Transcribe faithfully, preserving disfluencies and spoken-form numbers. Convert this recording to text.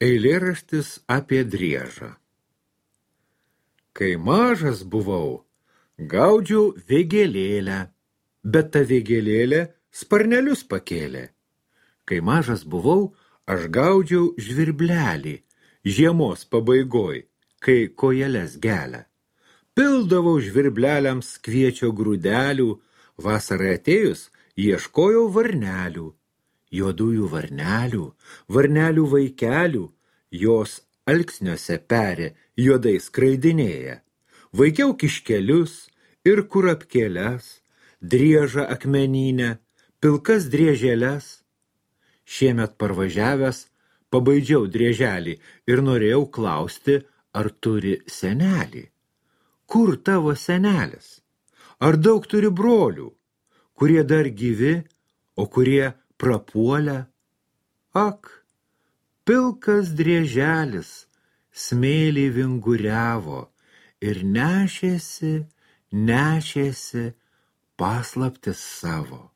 Eilėraštis apie driežą. Kai mažas buvau, gaudžiau vėgėlėlę, bet ta vėgėlėlė sparnelius pakėlė. Kai mažas buvau, aš gaudžiau žvirblelį, žiemos pabaigoj, kai kojeles gelia. Pildavau žvirbleliams kviečio grūdelių, vasarai atėjus ieškojau varnelių. Juodųjų varnelių, varnelių vaikelių, jos alksniuose perė, juodai skraidinėja. Vaikiau kiškelius ir kurapkėles, driežą akmeninę, pilkas drieželes. Šiemet parvažiavęs, pabaidžiau drieželį ir norėjau klausti, ar turi senelį. Kur tavo senelis? Ar daug turi brolių, kurie dar gyvi, o kurie prapuolę? Ak, pilkas drieželis smėlį vinguriavo ir nešėsi, nešėsi paslaptis savo.